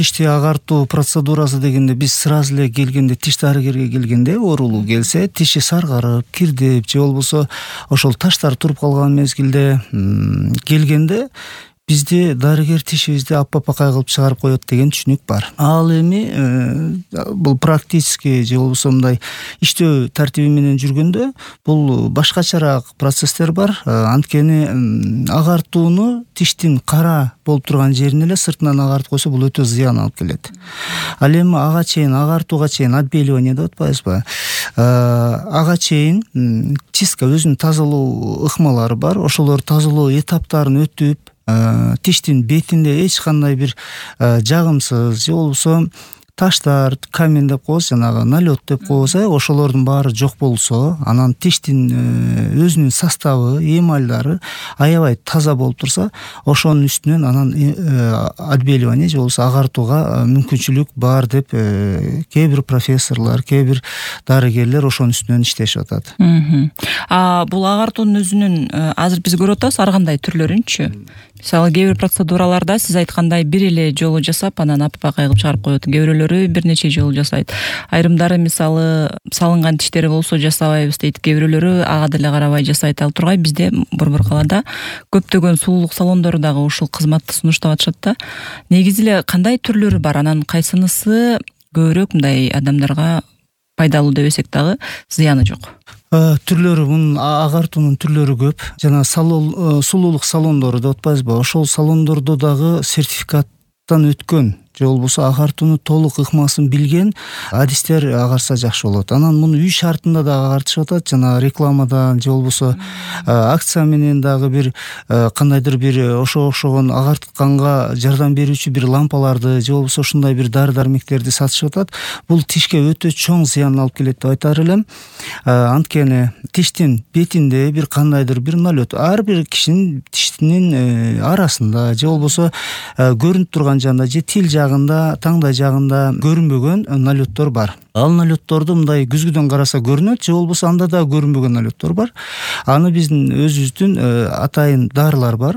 Тишти агартуу процедурасы дегенде биз сразу эле келгенде, тиш дарыгерге келгенде оорулуу келсе, тиши саргарып, кирдеп же болбосо ошол таштар туруп калган мезгилде келгенде бизде дарыгер тишибизди аппакай кылып чыгарып коет деген түшүнүк бар. Ал эми бул практически же болбосо мындай иштөө тартиби менен жүргөндө бул башкачараак процесстер бар. Анткени агартууну тиштин кара болуп турган жерин эле сыртынан агартып койсо бул өтө зыян алып келет. Ал эми ага чейин агартууга чейин отбеливание деп атпайбызбы? Ага чейин чистка өзүнүн тазалоо ыкмалары бар. Ошолор тазалоо этаптарын өтүп тиштин бетинде эч кандай бир жагымсыз же болбосо таштар, камень деп коебуз, жанагы налет деп коебуз, ошолордун баары жок болсо, анан тиштин өзүнүн составы, эмальдары аябай таза болуп турса, ошонун үстүнөн анан отбеливание же болбосо агартууга мүмкүнчүлүк бар деп кээ бир профессорлор, кээ бир дарыгерлер ошонун үстүнөн иштешип атат. Бул агартуунун өзүнүн азыр биз көрүп атабыз ар кандай түрлөрүнчү. Мисалы кээ бир процедураларда сиз айткандай бир эле жолу жасап, анан аппакай кылып чыгарып коет. Кээ бирөөлөрү бир нече жолу жасайт. Айрымдары мисалы салынган тиштери болсо жасабайбыз дейт. Кээ бирөөлөрү ага деле карабай жасайт. Ал тургай бизде борбор калаада көптөгөн сулуулук салондору дагы ушул кызматты сунуштап атышат да. Негизи эле кандай түрлөрү бар? Анан кайсынысы көбүрөөк мындай адамдарга пайдалуу дебесек дагы зыяны жок? Түрлөрү, мунун агартуунун түрлөрү көп. Жана сулуулук салондору деп атпайбызбы? Ошол салондордо дагы сертификаттан өткөн же болбосо агартууну толук ыкмасын билген адистер агарса жакшы болот. Анан муну үй шартында дагы агартышып атат. Жана рекламадан же болбосо акция менен дагы бир кандайдыр бир окшогон агартканга жардам берүүчү бир лампаларды же болбосо ушундай бир дары-дармектерди сатышып атат. Бул тишке өтө чоң зыян алып келет деп айтар элем. Анткени тиштин бетинде бир кандайдыр бир налет ар бир кишинин тиштинин арасында же болбосо көрүнүп турган жагында же тил жагында, таңдай жагында көрүнбөгөн налеттор бар. Ал налетторду мындай күзгүдөн караса көрүнөт, же болбосо анда да көрүнбөгөн налеттор бар. Аны биздин өзүбүздүн атайын дарылар бар.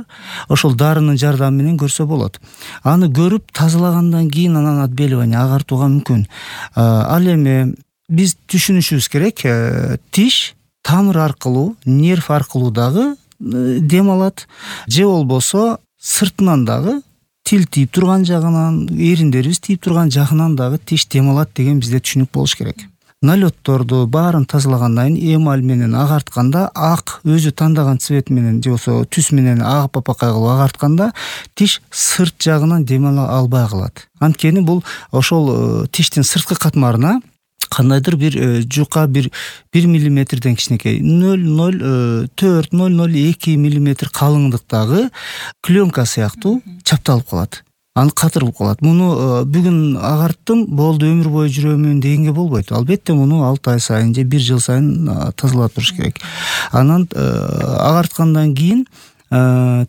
Ошол дарынын жардамы менен көрсө болот. Аны көрүп тазалагандан кийин анан отбеливание агартууга мүмкүн. Ал эми биз түшүнүшүбүз керек, тиш тамыр аркылуу, нерв аркылуу дагы дем алат, же болбосо сыртынан дагы тил тийип турган жагынан, эриндерибиз тийип турган жагынан дагы тиш дем алат деген бизде түшүнүк болуш керек. Налетторду баарын тазалагандан кийин эмаль менен агартканда ак өзү тандаган цвет менен же болбосо түс менен ак аппакай кылып агартканда тиш сырт жагынан дем ала албай калат. Анткени бул ошол тиштин сырткы катмарына кандайдыр бир жука бир миллиметрден кичинекей 0,04-0,02 миллиметр калыңдыктагы пленка сыяктуу чапталып калат. Аны катырылып калат. Муну бүгүн агарттым, болду өмүр бою жүрөмүн дегенге болбойт. Албетте муну 6 ай сайын же 1 жыл сайын тазалап туруш керек. Анан агарткандан кийин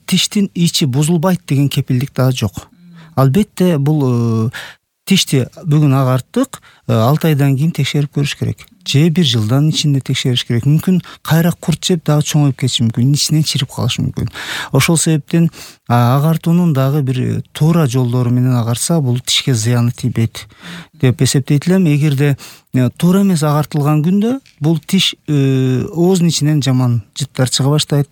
тиштин ичи бузулбайт деген кепилдик дагы жок. Албетте бул тишти бүгүн агарттык, 6 айдан кийин текшерип көрүш керек. Же 1 жылдан ичинде текшериш керек. Мүмкүн кайра курт жеп дагы чоңоюп кетиши мүмкүн, ичинен чирип калышы мүмкүн. Ошол себептен агартуунун дагы бир туура жолдору менен агарса, бул тишке зыяны тийбейт деп эсептейт элем. Эгерде туура эмес агартылган күндө бул тиш ооздун ичинен жаман жыттар чыга баштайт,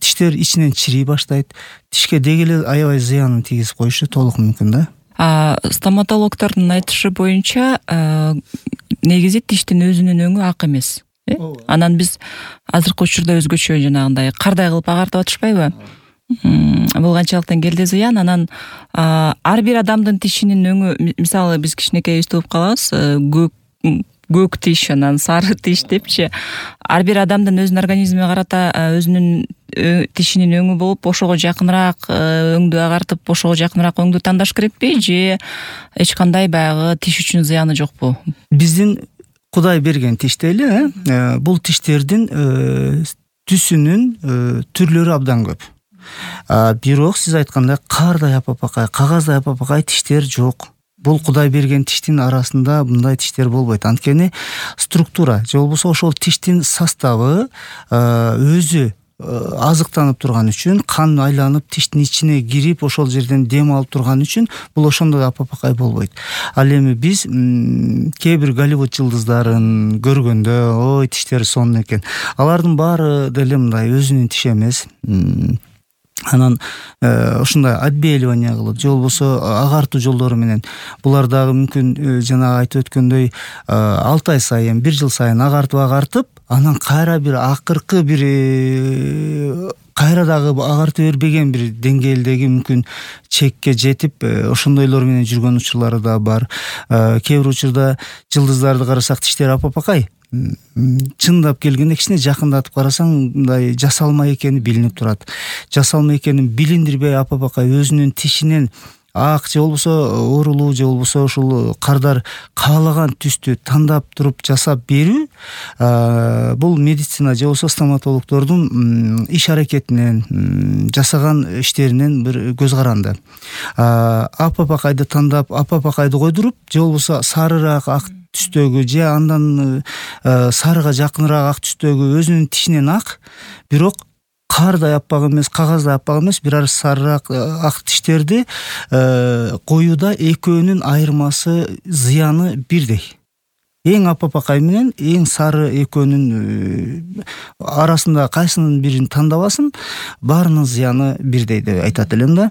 тиштер ичинен чирий баштайт, тишке деги эле аябай зыянын тийгизип коюшу толук мүмкүн да. Стоматологдордун айтышы боюнча негизи тиштин өзүнүн өңү ак эмес. Анан биз азыркы учурда өзгөчө жанагындай кардай кылып агартып атышпайбы? Бул канчалыктан келди зыян. Анан ар бир адамдын тишинин өңү, мисалы биз кичинекей угуп калабыз, көк тиш, анан сары тиш депчи. Ар бир адамдын өзүнүн организмине карата өзүнүн тишинин өңү болуп, ошого жакыныраак өңдү агартып, ошого жакыныраак өңдү тандаш керекпи, же эч кандай баягы тиш үчүн зыяны жокпу? Биздин Кудай берген тиш дейли, бул тиштердин түсүнүн түрлөрү абдан көп. Бирок сиз айткандай кардай аппакай, кагаздай аппакай тиштер жок. Бул Кудай берген тиштин арасында мындай тиштер болбойт. Анткени структура же болбосо ошол тиштин составы өзү азыктанып турган үчүн, кан айланып тиштин ичине кирип ошол жерден дем алып турган үчүн бул ошондо да апапакай болбойт. Ал эми биз кээ бир Голливуд жылдыздарын көргөндө ой тиштери сонун экен, алардын баары деле мындай өзүнүн тиши эмес. Анан ушундай отбеливание кылып же болбосо агартуу жолдору менен булар дагы мүмкүн жанагы айтып өткөндөй 6 ай сайын, 1 жыл сайын агартып, анан кайра бир акыркы бир кайра дагы агартып бербеген бир деңгээлдеги мүмкүн чекке жетип ошондойлор менен жүргөн учурлары да бар. Кээ бир учурда жылдыздарды карасак тиштери апапакай, чындап келгенде кичине жакындатып карасаң мындай жасалма экени билинип турат. Жасалма экенин билиндирбей апапакай өзүнүн тишинен ак же болбосо оорулуу же болбосо ушул кардар каалаган түстү тандап туруп жасап берүү бул медицина же болбосо стоматологдордун иш аракетинен жасаган иштеринен бир көз каранды. Апапакайды тандап апапакайды койдуруп же болбосо сарыраак ак түстөгү же андан сарыга жакыныраак ак түстөгү өзүнүн тишинен ак, бирок кардай аппак эмес, кагаздай аппак эмес, бир аз сарыраак ак тиштерди коюуда экөөнүн айырмасы, зыяны бирдей. Эң апапакай менен эң сары экөөнүн арасында кайсынын бирин тандабасын, баарынын зыяны бирдей деп айтат элем да.